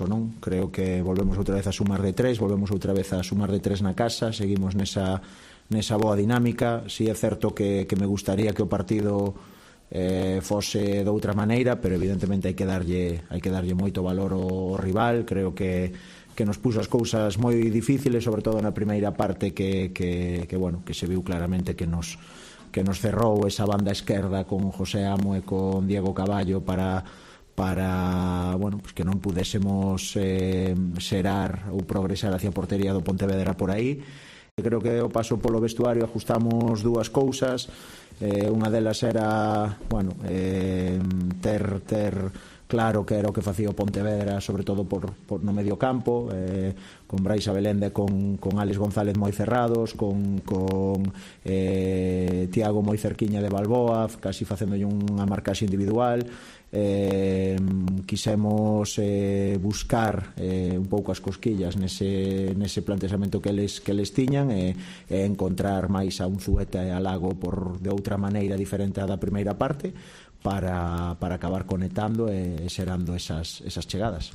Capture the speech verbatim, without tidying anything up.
non? Creo que volvemos outra vez a sumar de tres, volvemos outra vez a sumar de tres na casa, seguimos nesa, nesa boa dinámica. Si é certo que, que me gustaría que o partido eh, fose de outra maneira, pero evidentemente hai que darlle, hai que darlle moito valor ao rival. Creo que que nos puso as cousas moi difíciles, sobre todo na primeira parte, que, que, que, bueno, que se viu claramente que nos, que nos cerrou esa banda esquerda con José Amo e con Diego Caballo para para, bueno, pues que non pudésemos eh, xerar ou progresar hacia a portería do Pontevedra por aí. Creo que o paso polo vestuario ajustamos dúas cousas. Eh, unha delas era, bueno, eh, ter ter claro que era o que facía o Pontevedra, sobre todo por, por no medio campo, eh, con Brais Abelende, con, con Álex González moi cerrados, con, con eh, Tiago moi cerquiña de Balboa, casi facéndolle unha marcaxe individual. Eh, quisemos eh, buscar eh, un pouco as cosquillas nese, nese plantexamento que eles, que eles tiñan e, e encontrar máis a Unzueta e a Lago por, de outra maneira diferente á da primeira parte para, para acabar conectando e xerando esas, esas chegadas.